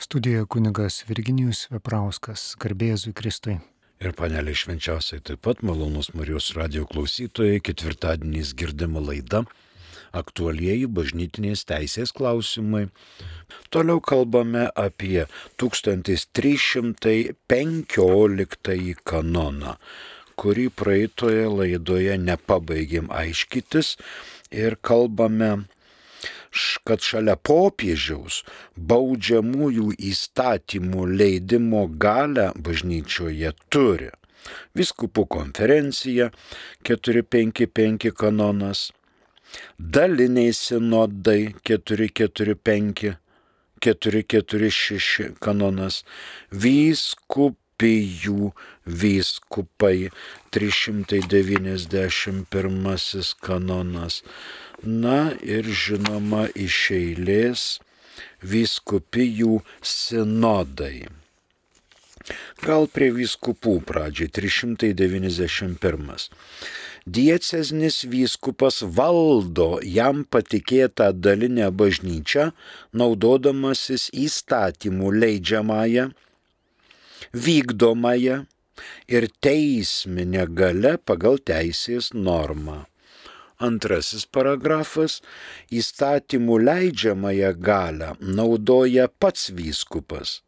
Studijoje kunigas Virginijus Veprauskas, garbė Jėzui Kristui. Ir panelė švenčiausiai taip pat malonus Marijos radijo klausytojai, ketvirtadieniais girdima laida Aktualieji bažnytinės teisės klausimai. Toliau kalbame apie 1315 kanoną, kurį praeitoje laidoje nepabaigėm aiškytis ir kalbame, kad šalia popiežiaus baudžiamųjų įstatymų leidimo galią bažnyčioje turi vyskupų konferencija 455 kanonas, daliniai sinodai 445, 446 kanonas, vyskupijų vyskupai 391 kanonas. Na ir žinoma iš eilės vyskupijų sinodai. Gal prie vyskupų pradžiai 391. Dieceznis vyskupas valdo jam patikėtą dalinę bažnyčią, naudodamasis įstatymų leidžiamąją, vykdomąją ir teisminę galią pagal teisės normą. Antrasis paragrafas – įstatymų leidžiamąją galią naudoja pats vyskupas.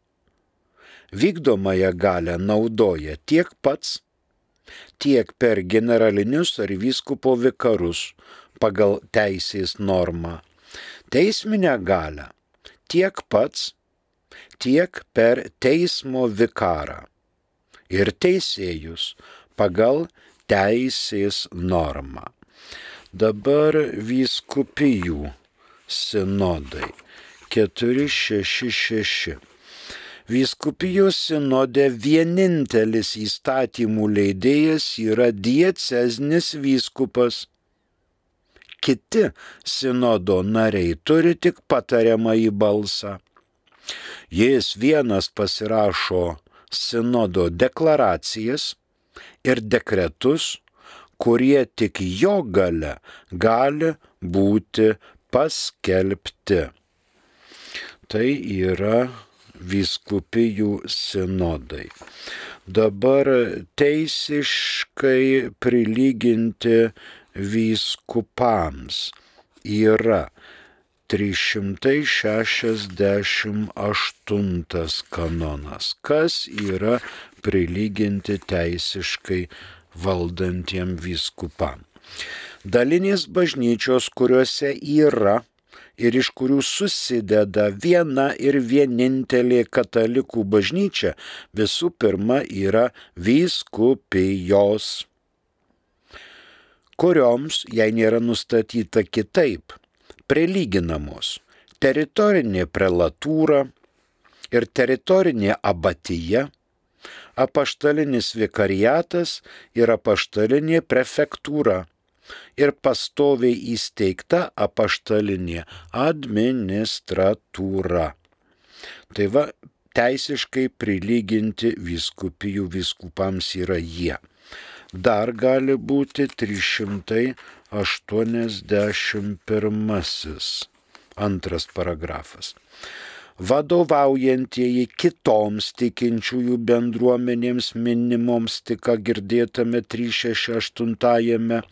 Vykdomąją galią naudoja tiek pats, tiek per generalinius ar vyskupo vikarus pagal teisės normą. Teisminę galią tiek pats, tiek per teismo vikarą ir teisėjus pagal teisės normą. Dabar vyskupijų sinodai 466. Vyskupijos sinode vienintelis įstatymų leidėjas yra dieceznis vyskupas. Kiti sinodo nariai turi tik patariamąjį balsą. Jis vienas pasirašo sinodo deklaracijas ir dekretus, kurie tik jo galia gali būti paskelbti. Tai yra vyskupijų sinodai. Dabar teisiškai prilyginti vyskupams yra 368 kanonas. Kas yra prilyginti teisiškai valdantiem vyskupam? Dalinės bažnyčios, kuriuose yra ir iš kurių susideda viena ir vienintelė katalikų bažnyčia, visų pirma yra vyskupijos, kurioms, jei nėra nustatyta kitaip, prilyginamos teritorinė prelatūra ir teritorinė abatija, apaštalinis vikariatas ir apaštalinė prefektūra ir pastoviai įsteigta apaštalinė administratūra. Tai va, teisiškai prilyginti vyskupijų vyskupams yra jie. Dar gali būti 381 antras paragrafas. Vadovaujantieji kitoms tikinčiųjų bendruomenėms minimoms tik girdėtame 368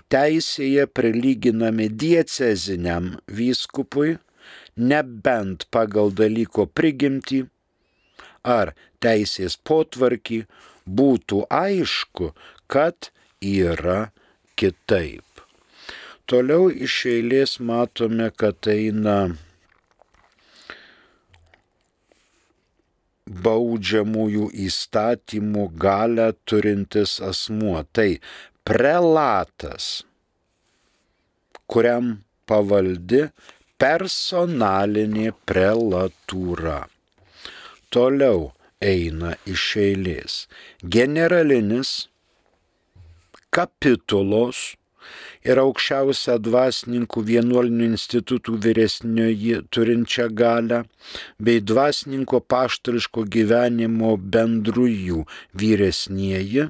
teisėje prilyginami dieceziniam vyskupui, nebent pagal dalyko prigimtį ar teisės potvarkį būtų aišku, kad yra kitaip. Toliau iš eilės matome, kad eina baudžiamųjų įstatymų galią turintis asmuo. Tai prelatas, kuriam pavaldi personalinė prelatūra. Toliau eina iš eilės generalinis, kapitulos ir aukščiausią dvasininkų vienuolinių institutų vyresnioji turinčią galią, bei dvasininko apaštališko gyvenimo bendrųjų vyresnieji,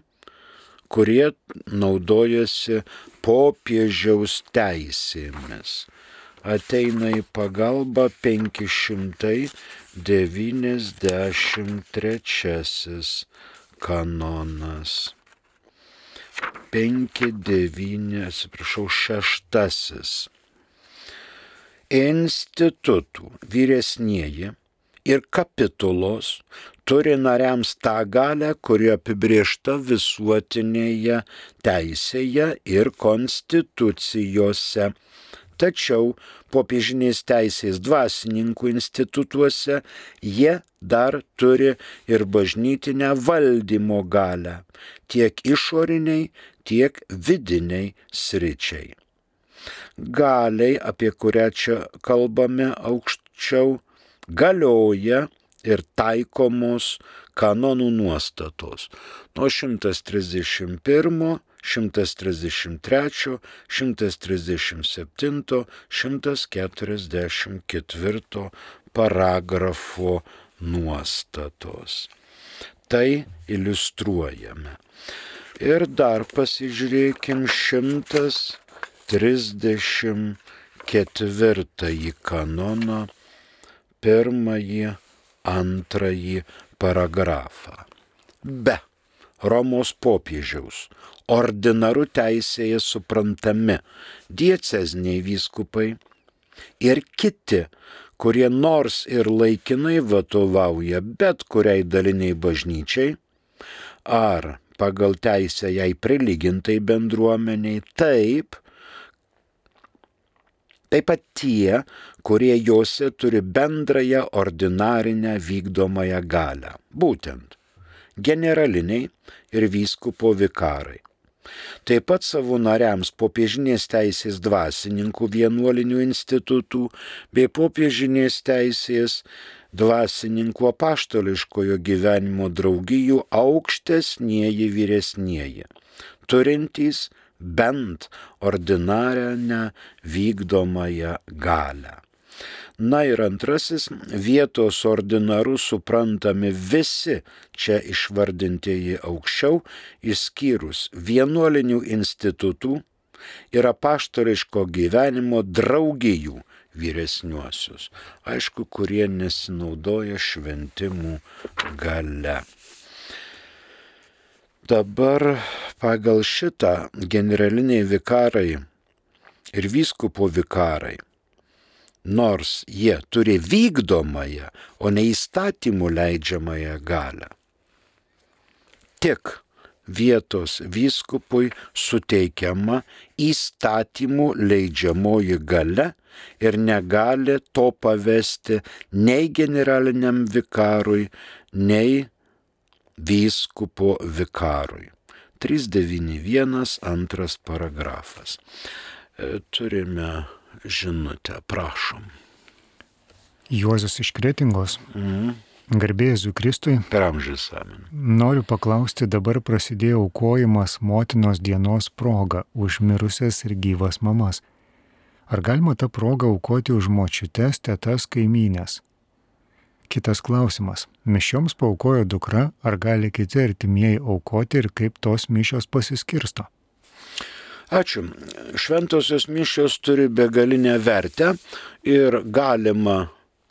kurie naudojasi popiežiaus teisėmis. ateina į pagalbą 593 kanonas. 6. Institutų vyresnieji ir kapitulos turi nariams tą galią, kuri apibrėžta visuotinėje teisėje ir konstitucijose. Tačiau popiežinės teisės dvasininkų institutuose jie dar turi ir bažnytinę valdymo galią, tiek išoriniai, tiek vidiniai sričiai. Galiai, apie kurią čia kalbame aukščiau, galioja ir taikomos kanonų nuostatos nuo 131, 133, 137, 144 paragrafo nuostatos. Tai iliustruojame. Ir dar pasižiūrėkim 134 kanoną, 1, 2 paragrafą. Be Romos popiežiaus ordinaru teisėje suprantami dieceziniai vyskupai ir kiti, kurie nors ir laikinai vadovauja bet kuriai daliniai bažnyčiai ar pagal teisę jai prilygintai bendruomeniai, taip pat tie, kurie jose turi bendrąją ordinarinę vykdomąją galią, būtent generaliniai ir vyskupo vikarai. Taip pat savo nariams popiežinės teisės dvasininkų vienuolinių institutų bei popiežinės teisės dvasininkų apaštališkojo gyvenimo draugijų aukštesnieji vyresnieji, turintys bent ordinarinę vykdomąją galią. Na ir antrasis, vietos ordinaru suprantami visi čia išvardintieji aukščiau, išskyrus vienuolinių institutų ir apaštališko gyvenimo draugijų vyresniuosius, aišku, kurie nesinaudoja šventimų galia. Dabar pagal šitą generaliniai vikarai ir vyskupo vikarai, nors jie turi vykdomąją, o ne įstatymų leidžiamąją galią, tik vietos vyskupui suteikiama įstatymų leidžiamoji galia ir negali to pavesti nei generaliniam vikarui, nei vyskupo vikarui. 391 2 paragrafas. Turime žinutę, prašom. Juozas iš Kretingos. Garbė Jėzui Kristui. Per amžius amen. Noriu paklausti, dabar prasidėjo aukojimas motinos dienos proga už mirusias ir gyvas mamas. Ar galima tą progą aukoti už močiutes, tetas, kaimynės? Kitas klausimas. Mišioms paaukojo dukra, ar gali kiti artimieji aukoti ir kaip tos mišios pasiskirsto? Ačiū. Šventosios mišios turi begalinę vertę ir galima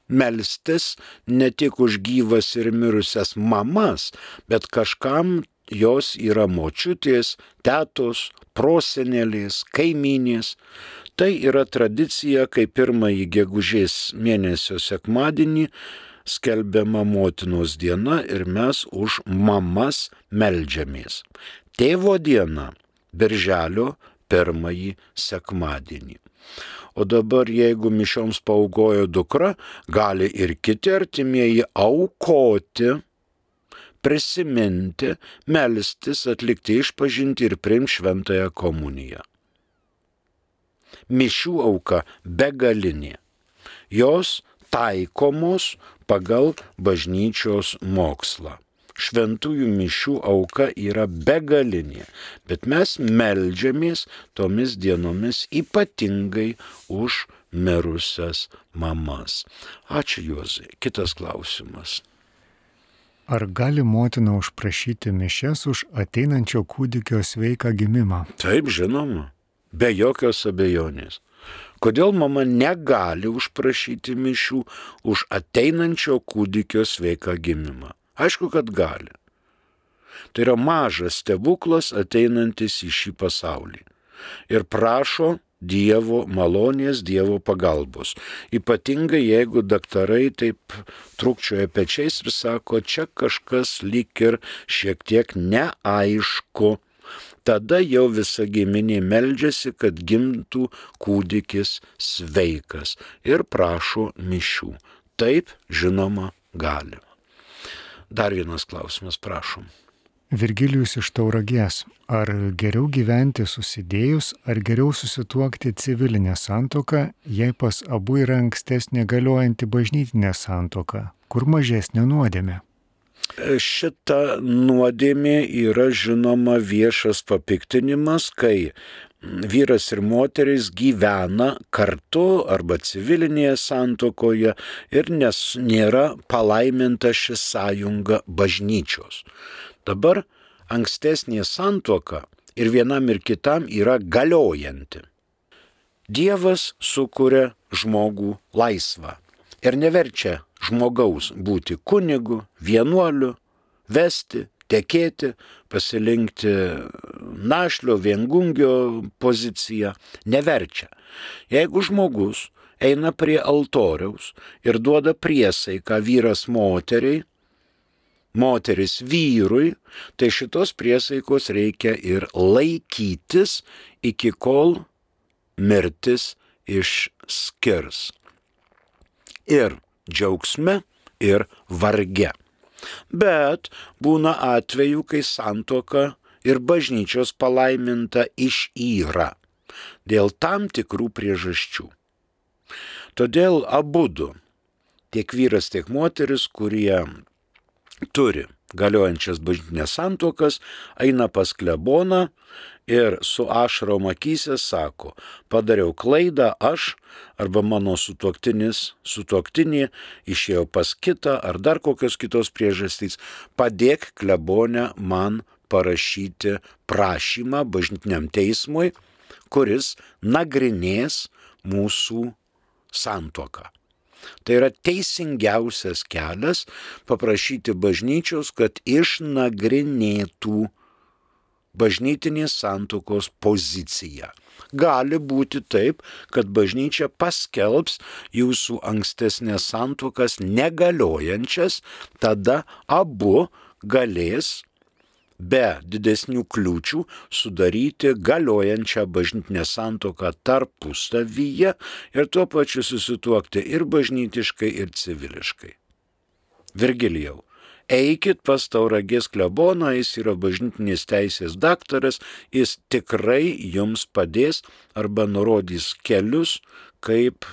melstis ne tik už gyvas ir mirusias mamas, bet kažkam jos yra močiutės, tetos, prosenelės, kaimynės. Tai yra tradicija, kai pirmąjį gegužės mėnesio sekmadienį skelbiama motinos diena ir mes už mamas meldžiamės. Tėvo diena birželio 1 sekmadienį. O dabar, jeigu mišioms paaukojo dukra, gali ir kiti artimieji aukoti, prisiminti, melstis, atlikti išpažintį ir priimti šventąją komuniją. Mišių auka begalinė. Jos taikomos pagal bažnyčios mokslą. Šventųjų mišių auka yra begalinė, bet mes meldžiamės tomis dienomis ypatingai už mirusias mamas. Ačiū Juozai. Kitas klausimas. Ar gali motina užprašyti mišias už ateinančio kūdikio sveiką gimimą? Taip, žinoma, be jokios abejonės. Kodėl mama negali užprašyti mišių už ateinančio kūdikio sveiką gimimą? Aišku, kad gali. Tai yra mažas stebuklas ateinantis į šį pasaulį. Ir prašo Dievo malonės, Dievo pagalbos. Ypatingai jeigu daktarai taip trūkčioja pečiais ir sako, čia kažkas lyg ir šiek tiek neaišku. Tada jau visa giminė meldžiasi, kad gimtų kūdikis sveikas ir prašo mišių. Taip, žinoma, galima. Dar vienas klausimas, prašom. Virgilijus iš Tauragės. Ar geriau gyventi susidėjus, ar geriau susituokti civilinę santuoką, jei pas abu yra ankstesnė galiojanti bažnytinė santuoka, kur mažesnė nuodėmė? Šita nuodėmė yra žinoma viešas papiktinimas, kai vyras ir moteris gyvena kartu arba civilinėje santuokoje ir nėra palaiminta ši sąjunga bažnyčios. Dabar ankstesnė santuoka ir vienam ir kitam yra galiojanti. Dievas sukuria žmogų laisvą ir neverčia žmogaus būti kunigu, vienuoliu, vesti, tekėti, pasirinkti našlio, viengungio poziciją. Neverčia. Jeigu žmogus eina prie altoriaus ir duoda priesaiką vyras moteriai, moteris vyrui, tai šitos priesaikos reikia ir laikytis, iki kol mirtis išskirs. Ir džiaugsme, ir varge. Bet būna atvejų, kai santuoka ir bažnyčios palaiminta išyra dėl tam tikrų priežasčių. Todėl abudu, tiek vyras, tiek moteris, kurie turi galiojančias bažnytinės santuokas, eina pas kleboną ir su ašarom akyse sako, padariau klaidą aš arba mano sutuoktinė išėjo pas kitą ar dar kokios kitos priežastys, padėk klebone man parašyti prašymą bažnytiniam teismui, kuris nagrinės mūsų santuoką. Tai yra teisingiausias kelias paprašyti bažnyčios, kad išnagrinėtų bažnytinės santuokos poziciją. Gali būti taip, kad bažnyčia paskelbs jūsų ankstesnės santuokas negaliojančias, tada abu galės be didesnių kliūčių sudaryti galiojančią bažnytinę santuoką tarpusavyje ir tuo pačiu susituokti ir bažnytiškai, ir civiliškai. Virgilijau, eikit pas Tauragės kleboną, jis yra bažnytinės teisės daktaras, jis tikrai jums padės arba nurodys kelius, kaip,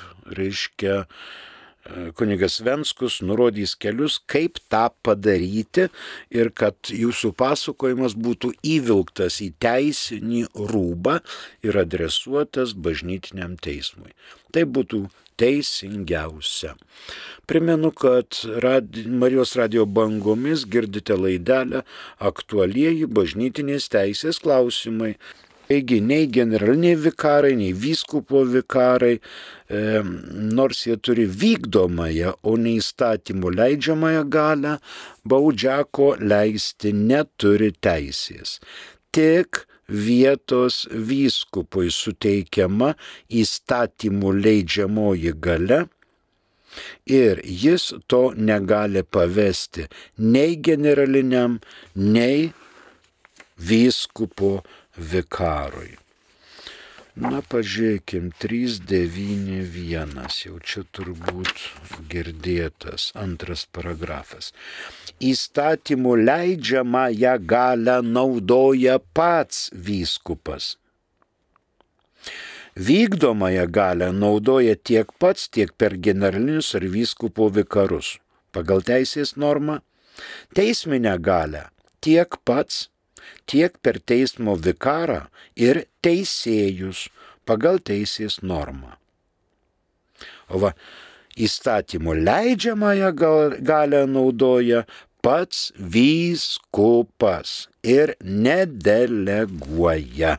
kunigas Venckus nurodys kelius, kaip tą padaryti ir kad jūsų pasakojimas būtų įvilktas į teisinį rūbą ir adresuotas bažnytiniam teismui. Tai būtų teisingiausia. Primenu, kad Marijos radijo bangomis girdite laidelę Aktualieji bažnytinės teisės klausimai. Taigi nei generaliniai vikarai, nei vyskupo vikarai, nors jie turi vykdomąją, o ne įstatymų leidžiamąją galią, baudžiako leisti neturi teisės. Tik vietos vyskupui suteikiama įstatymų leidžiamoji galia ir jis to negali pavesti nei generaliniam, nei vyskupo vikarui. Na, pažiūrėkim, 391, jau čia turbūt girdėtas antras paragrafas. Įstatymų leidžiamąją galią naudoja pats vyskupas. Vykdomąją galią naudoja tiek pats, tiek per generalinius ar vyskupo vikarus. Pagal teisės normą, teisminę galią tiek pats, tiek per teismo vikarą ir teisėjus pagal teisės normą. O va, įstatymų leidžiamąją galią naudoja pats vyskupas ir nedeleguoja.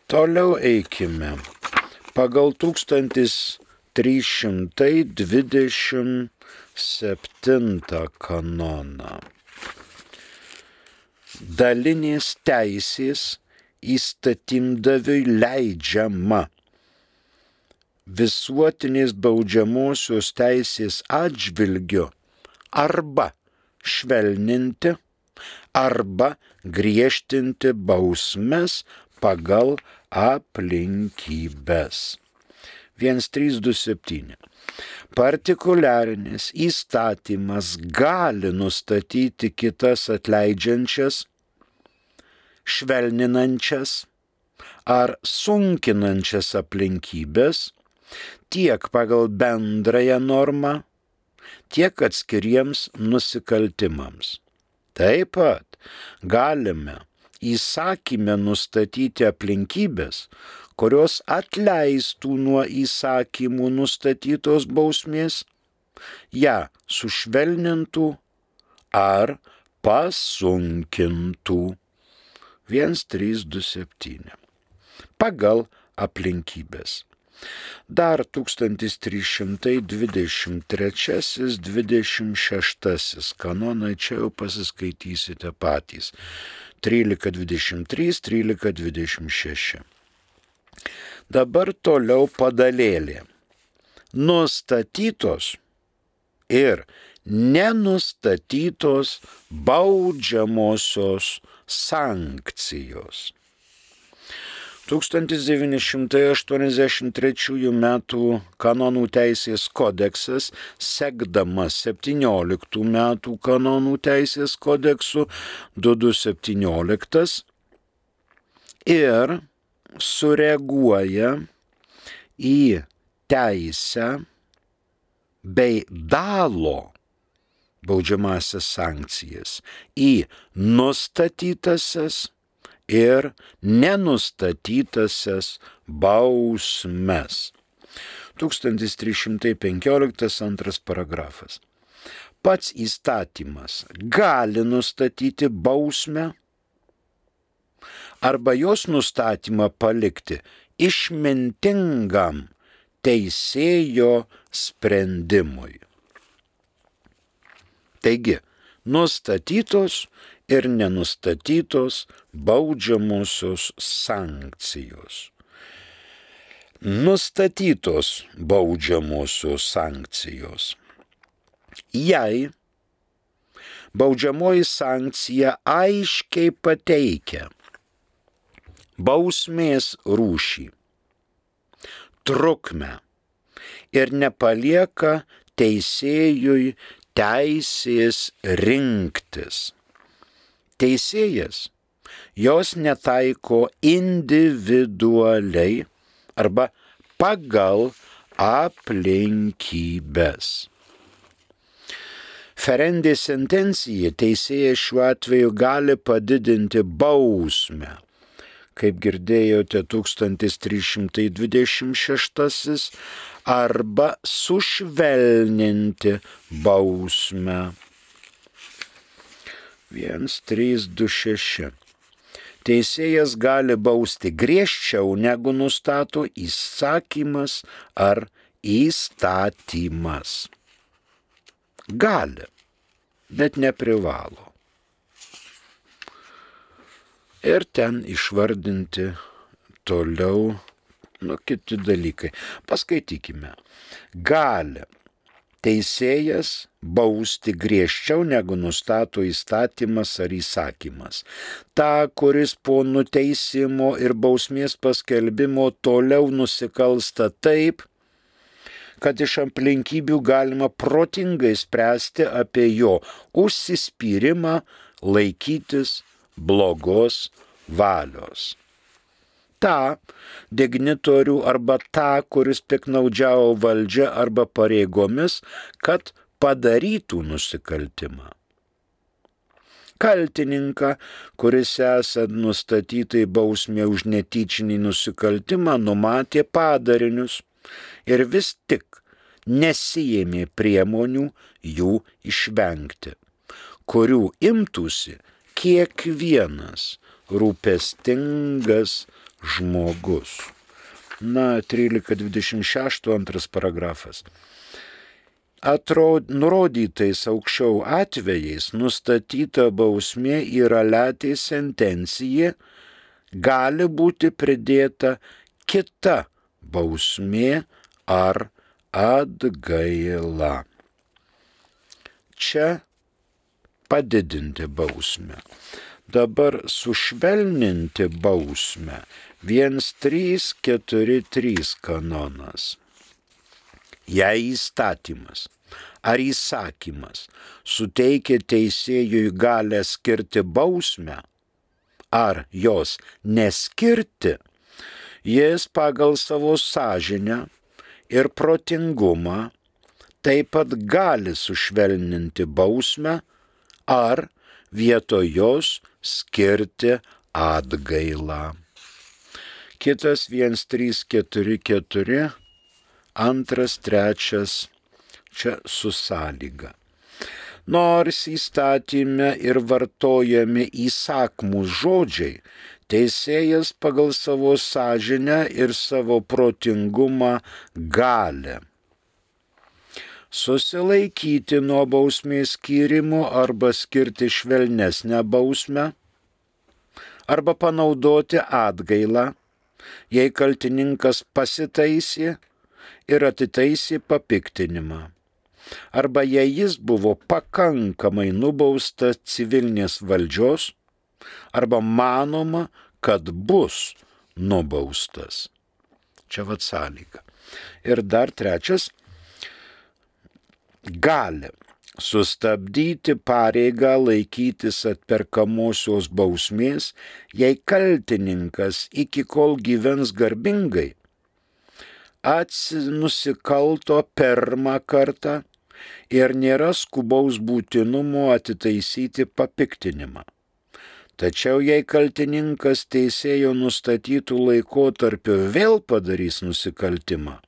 Toliau eikime. Pagal 1327 kanoną. Dalinės teisės įstatymdaviui leidžiama visuotinės baudžiamosios teisės atžvilgiu arba švelninti, arba griežtinti bausmes pagal aplinkybes. 1327. Partikuliarinis įstatymas gali nustatyti kitas atleidžiančias, švelninančias ar sunkinančias aplinkybes tiek pagal bendrąją normą, tiek atskiriems nusikaltimams. Taip pat galime įsakyme nustatyti aplinkybės, kurios atleistų nuo įsakymų nustatytos bausmės, ją sušvelnintų ar pasunkintų. 1327. Pagal aplinkybės. Dar 1323-26 kanonai, čia jau pasiskaitysite patys. 1323, 1326. Dabar toliau padalėlė. Nustatytos ir nenustatytos baudžiamosios sankcijos. 1983 metų kanonų teisės kodeksas, sekdamas 17 metų kanonų teisės kodeksu 2217 ir sureaguoja į teisę bei dalo baudžiamąsias sankcijas į nustatytasias ir nenustatytasias bausmes. 1315 antras paragrafas. Pats įstatymas gali nustatyti bausmę arba jos nustatymą palikti išmintingam teisėjo sprendimui. Taigi, nustatytos ir nenustatytos baudžiamosios sankcijos. Nustatytos baudžiamosios sankcijos. Jei baudžiamoji sankcija aiškiai pateikia bausmės rūšį, trukmę ir nepalieka teisėjui teisės rinktis. Teisėjas jos netaiko individualiai arba pagal aplinkybės. Ferendė sentencija teisėjas šiuo atveju gali padidinti bausmę, kaip girdėjote 1326, arba sušvelninti bausmę. 1326. Teisėjas gali bausti griežčiau negu nustato įsakymas ar įstatymas. Gali, bet neprivalo. Ir ten išvardinti toliau kiti dalykai. Paskaitykime. Gali teisėjas bausti griežčiau negu nustato įstatymas ar įsakymas. Ta, kuris po nuteisimo ir bausmės paskelbimo toliau nusikalsta taip, kad iš aplinkybių galima protingai spręsti apie jo užsispyrimą laikytis blogos valios. Ta dignitorių arba ta, kuris piknaudžiavo valdžia arba pareigomis, kad padarytų nusikaltimą. Kaltininką, kuris esant nustatytai bausmė už netyčinį nusikaltimą, numatė padarinius ir vis tik nesiėmė priemonių jų išvengti, kurių imtųsi kiekvienas rūpestingas žmogus. 13.26 antras paragrafas. Nurodytais aukščiau atvejais nustatyta bausmė yra latė sentencija, gali būti pridėta kita bausmė ar atgaila. Čia padidinti bausmę. Dabar sušvelninti bausmę 1.3.4.3 kanonas. Jei įstatymas ar įsakymas suteikia teisėjui galę skirti bausmę ar jos neskirti, jis pagal savo sąžinę ir protingumą taip pat gali sušvelninti bausmę ar vietoj jos skirti atgailą. Kitas 1.3.4.4, antras, trečias, čia su sąlyga. Nors įstatyme ir vartojami įsakmūs žodžiai, teisėjas pagal savo sąžinę ir savo protingumą gali susilaikyti nuo bausmės skyrimo arba skirti švelnesnę bausmę, arba panaudoti atgailą, jei kaltininkas pasitaisė ir atitaisė papiktinimą, arba jei jis buvo pakankamai nubaustas civilinės valdžios, arba manoma, kad bus nubaustas. Čia vat sąlyga. Ir dar trečias, gali sustabdyti pareigą laikytis atperkamosios bausmės, jei kaltininkas iki kol gyvens garbingai nusikalto pirmą kartą ir nėra skubaus būtinumo atitaisyti papiktinimą. Tačiau jei kaltininkas teisėjo nustatytų laikotarpiu vėl padarys nusikaltimą,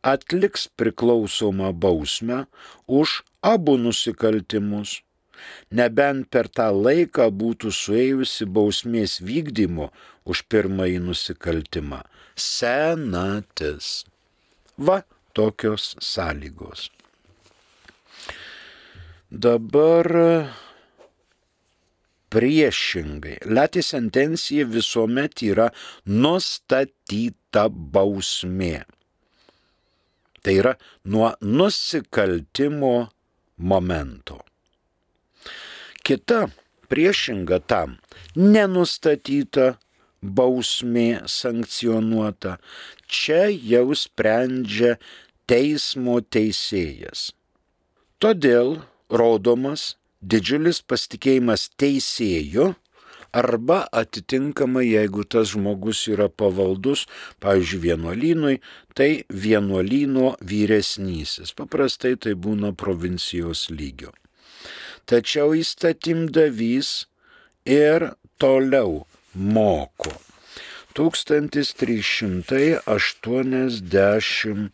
atliks priklausomą bausmę už abu nusikaltimus, nebent per tą laiką būtų suėjusi bausmės vykdymo už pirmąjį nusikaltimą senatis. Va tokios sąlygos. Dabar priešingai. Latė sentencija visuomet yra nustatyta bausmė. Tai yra nuo nusikaltimo momento. Kita priešinga tam nenustatyta bausmė sankcionuota. Čia jau sprendžia teismo teisėjas. Todėl rodomas didžiulis pasitikėjimas teisėju arba atitinkamai, jeigu tas žmogus yra pavaldus, pavyzdžiui, vienuolynui, tai vienuolyno vyresnysis. Paprastai tai būna provincijos lygio. Tačiau įstatymdavys ir toliau moko. 1387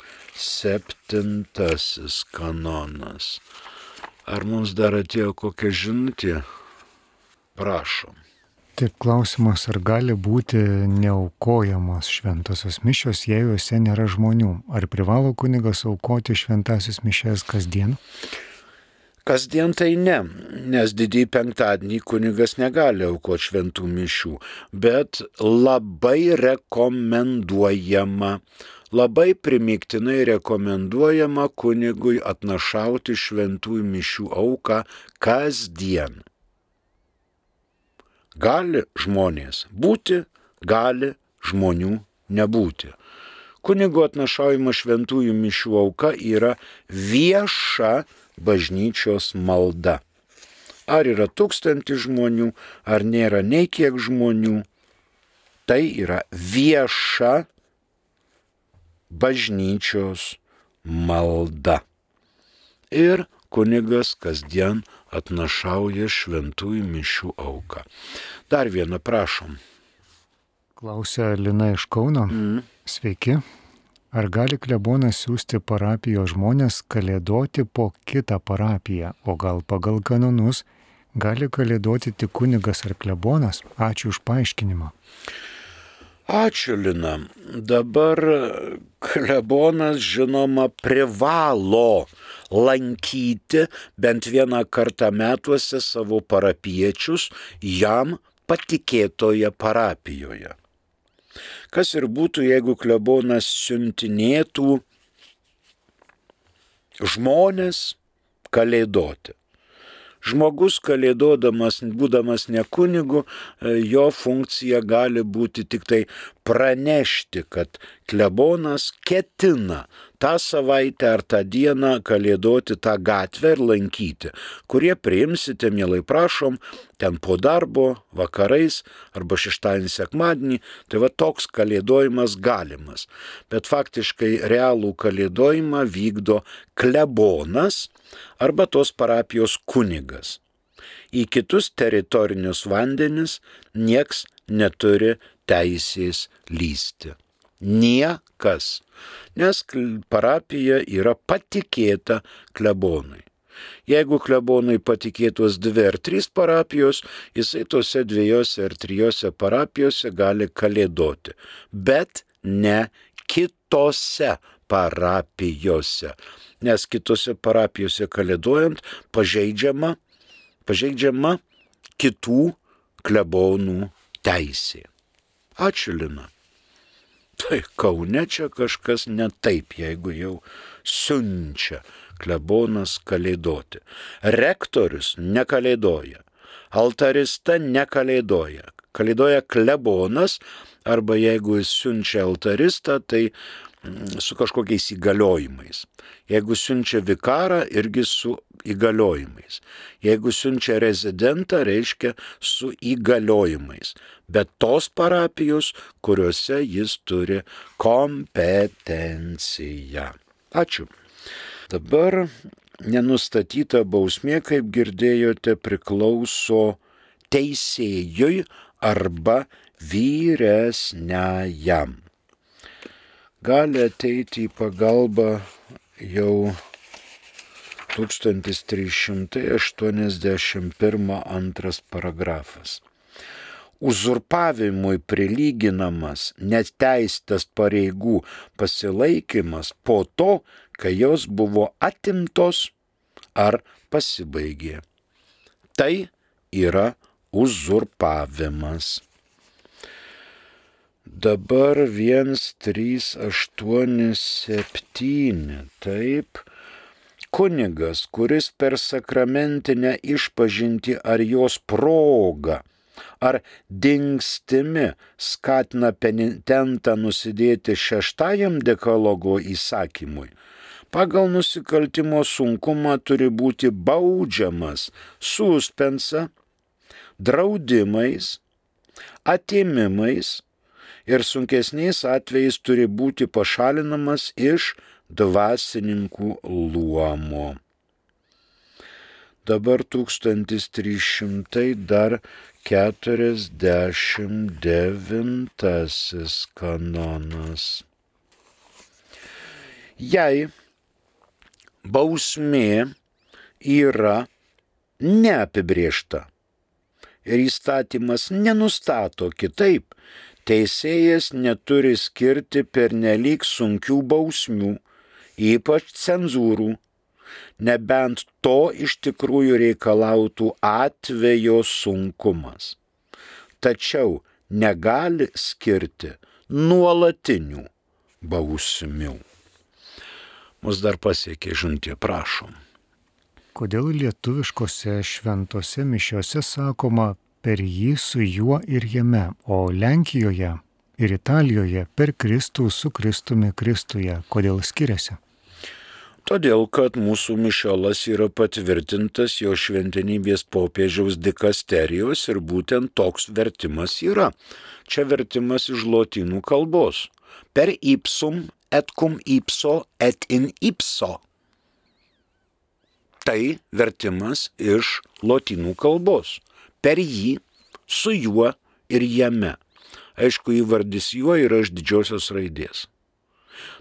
kanonas. Ar mums dar atėjo kokia žinutė? Prašom. Taip, klausimas, ar gali būti neaukojamos šventosios mišios, jei juose nėra žmonių? Ar privalo kunigas aukoti šventąsias mišias kasdien? Kasdien tai ne, nes didįjį penktadienį kunigas negali aukoti šventų mišių, bet labai rekomenduojama, labai primygtinai rekomenduojama kunigui atnašauti šventųjų mišių auką kasdien. Gali žmonės būti, gali žmonių nebūti. Kunigo atnašaujama šventųjų mišių auka yra vieša bažnyčios malda. Ar yra 1000 žmonių, ar nėra nei kiek žmonių, tai yra vieša bažnyčios malda. Ir kunigas kasdien atnašauja šventųjų mišių auką. Dar vieną prašom. Klausia Lina iš Kauno. Sveiki. Ar gali klebonas siųsti parapijos žmonės kalėdoti po kitą parapiją, o gal pagal kanonus gali kalėdoti tik kunigas ar klebonas? Ačiū už paaiškinimą. Ačiū, Lina. Dabar klebonas, žinoma, privalo lankyti bent vieną kartą metuose savo parapiečius jam patikėtoje parapijoje. Kas ir būtų, jeigu klebonas siuntinėtų žmonės kalėdoti. Žmogus kalėdodamas, būdamas ne kunigu, jo funkcija gali būti tik tai pranešti, kad klebonas ketina tą savaitę ar tą dieną kalėdoti tą gatvę ir lankyti. Kurie priimsite, mielai prašom, ten po darbo, vakarais arba šeštadienį, sekmadienį, tai va toks kalėdojimas galimas. Bet faktiškai realų kalėdojimą vykdo klebonas arba tos parapijos kunigas. Į kitus teritorinius vandenis nieks neturi teisės lysti. Niekas. Nes parapija yra patikėta klebonui. Jeigu klebonui patikėtos 2 ar 3 parapijos, jisai tose 2 ar 3 parapijose gali kalėdoti. Bet ne kitose parapijose. Nes kitose parapijose kalėdojant pažeidžiama kitų klebonų teisė. Ačiū, Lina. Tai Kaune čia kažkas ne taip, jeigu jau siunčia klebonas kalėdoti. Rektorius nekalėdoja, altarista nekalėdoja. Kalėdoja klebonas, arba jeigu jis siunčia altaristą, tai su kažkokiais įgaliojimais. Jeigu siunčia vikarą, irgi su įgaliojimais. Jeigu siunčia rezidentą, reiškia su įgaliojimais. Bet tos parapijos, kuriuose jis turi kompetenciją. Ačiū. Dabar nenustatyta bausmė, kaip girdėjote, priklauso teisėjui arba vyresniajam. Gali ateiti į pagalbą jau 1381 antras paragrafas. Uzurpavimui prilyginamas neteisėtas pareigų pasilaikymas po to, kai jos buvo atimtos ar pasibaigė. Tai yra uzurpavimas. Dabar 1387, taip. Kunigas, kuris per sakramentinę išpažintį ar jos progą, ar dingstimi skatina penitentą nusidėti 6 dekalogo įsakymui, pagal nusikaltimo sunkumą turi būti baudžiamas suspensa, draudimais, atėmimais ir sunkesniais atvejais turi būti pašalinamas iš dvasininkų luomo. Dabar 1349 kanonas. Jei bausmė yra neapibrėžta ir įstatymas nenustato kitaip, teisėjas neturi skirti pernelyg sunkių bausmių, ypač cenzūrų, nebent to iš tikrųjų reikalautų atvejo sunkumas. Tačiau negali skirti nuolatinių bausmių. Mus dar pasiekė žinutė, prašom. Kodėl lietuviškose šventose mišiose sakoma per jį, su juo ir jame, o Lenkijoje ir Italijoje per Kristų, su Kristumi, Kristuje? Kodėl skiriasi? Todėl, kad mūsų mišiolas yra patvirtintas jo šventenybės popiežiaus dikasterijos ir būtent toks vertimas yra. Čia vertimas iš lotynų kalbos. Per ipsum et cum ipso et in ipso. Tai vertimas iš lotynų kalbos. Per jį, su juo ir jame. Aišku, įvardis juo yra iš didžiosios raidės.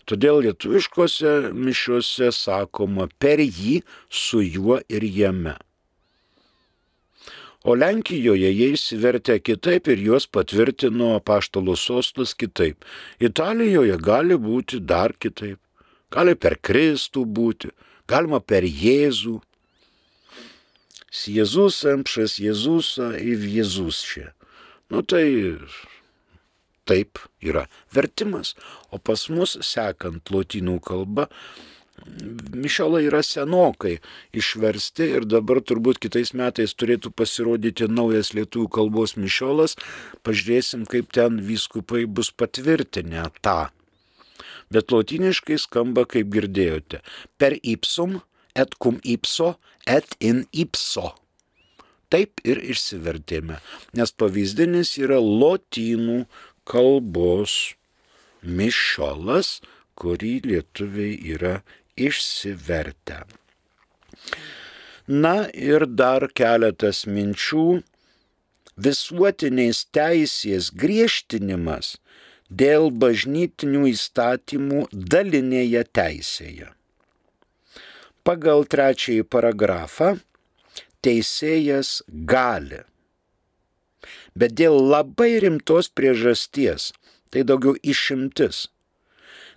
Todėl lietuviškose mišiuose sakoma per jį, su juo ir jame. O Lenkijoje jie išsivertė kitaip ir juos patvirtino apaštalų sostas kitaip. Italijoje gali būti dar kitaip. Gali per Kristų būti, galima per Jėzų. S Jėzusem, przez Jėzusą ir Jėzus čia. Tai taip yra vertimas. O pas mus, sekant lotynų kalba, mišiolai yra senokai išversti ir dabar turbūt kitais metais turėtų pasirodyti naujas lietuvių kalbos mišiolas. Pažiūrėsim, kaip ten vyskupai bus patvirtinę tą. Bet lotyniškai skamba, kaip girdėjote, per ipsum, et cum ipso, et in ipso. Taip ir išsivertėme, nes pavyzdinis yra lotynų kalbos mišiolas, kurį lietuviai yra išsivertę. Ir dar keletas minčių. Visuotinės teisės griežtinimas dėl bažnytinių įstatymų dalinėje teisėje. Pagal 3 paragrafą teisėjas gali, bet dėl labai rimtos priežasties, tai daugiau išimtis,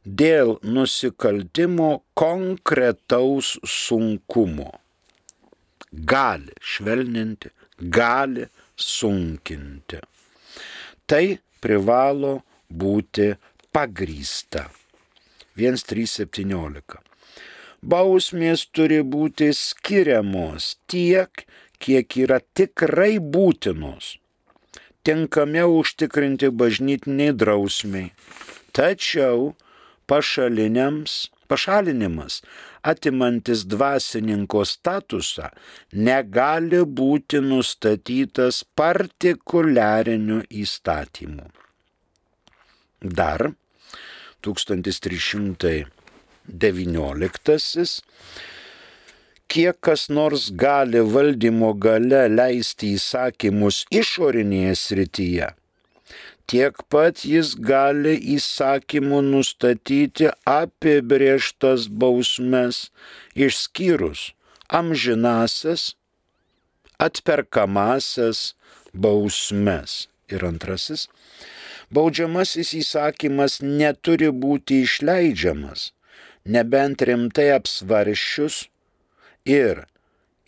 dėl nusikaltimo konkretaus sunkumo. Gali švelninti, gali sunkinti. Tai privalo būti pagrįsta. 1.3.17. Bausmės turi būti skiriamos tiek, kiek yra tikrai būtinos, tinkamiau užtikrinti bažnytiniai drausmiai. Tačiau pašalinimas, atimantis dvasininko statusą, negali būti nustatytas partikuliariniu įstatymu. Dar 1319. Kiek kas nors gali valdymo gale leisti įsakymus išorinėje srityje, tiek pat jis gali įsakymu nustatyti apibrėžtas bausmes, išskyrus amžinasias, atperkamasias bausmes. Ir antrasis, baudžiamasis įsakymas neturi būti išleidžiamas, nebent rimtai apsvarsčius ir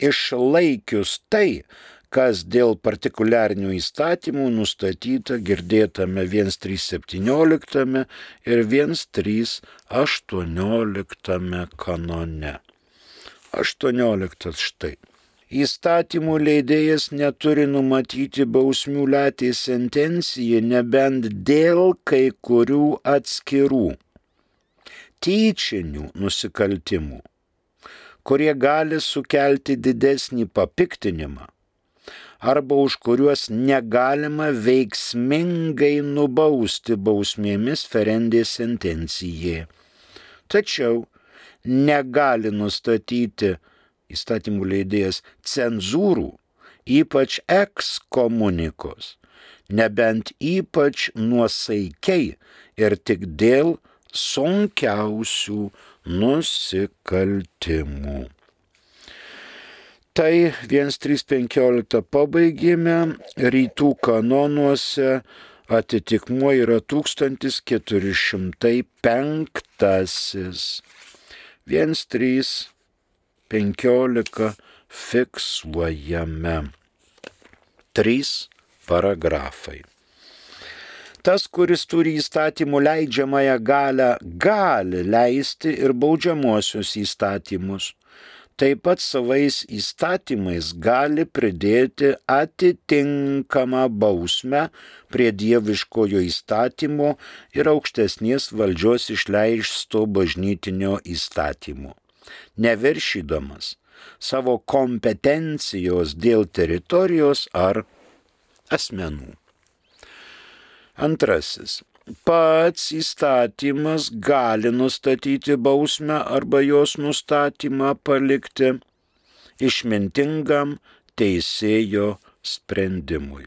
išlaikius tai, kas dėl partikuliarinių įstatymų nustatyta girdėtame 1.3.17 ir 1.3.18 kanone. 18 štai. Įstatymų leidėjas neturi numatyti bausmių latei sentencijai, nebent dėl kai kurių atskirų tyčinių nusikaltimų, kurie gali sukelti didesnį papiktinimą, arba už kuriuos negalima veiksmingai nubausti bausmėmis ferendė sentencijai. Tačiau negali nustatyti įstatymų leidėjas cenzūrų, ypač ekskomunikos, nebent ypač nuosaikiai ir tik dėl sunkiausių nusikaltimų. Tai 1.3.15 pabaigėme, rytų kanonuose atitikmuo yra 1405. 1.3.15 fiksuojame. 3 paragrafai. Tas, kuris turi įstatymų leidžiamąją galią, gali leisti ir baudžiamuosius įstatymus. Taip pat savais įstatymais gali pridėti atitinkamą bausmę prie dieviškojo įstatymo ir aukštesnės valdžios išleisto bažnytinio įstatymo, neviršydamas savo kompetencijos dėl teritorijos ar asmenų. Antrasis. Pats įstatymas gali nustatyti bausmę arba jos nustatymą palikti išmintingam teisėjo sprendimui.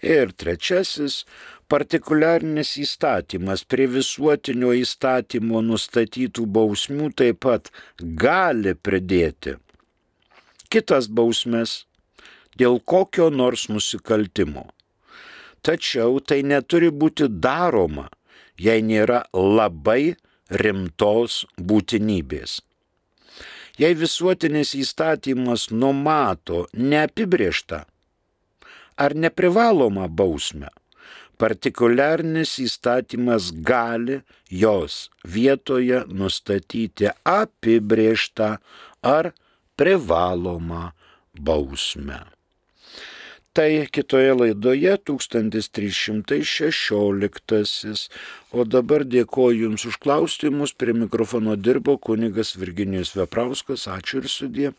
Ir trečiasis. Partikuliarinis įstatymas prie visuotinio įstatymo nustatytų bausmių taip pat gali pridėti kitas bausmes, dėl kokio nors nusikaltimo. Tačiau tai neturi būti daroma, jei nėra labai rimtos būtinybės. Jei visuotinis įstatymas numato neapibrėžtą ar neprivalomą bausmę, partikuliarinis įstatymas gali jos vietoje nustatyti apibrėžtą ar privalomą bausmę. Tai kitoje laidoje 1316. O dabar dėkoju Jums už klausimus. Prie mikrofono dirbo kunigas Virginijus Veprauskas. Ačiū ir sudie.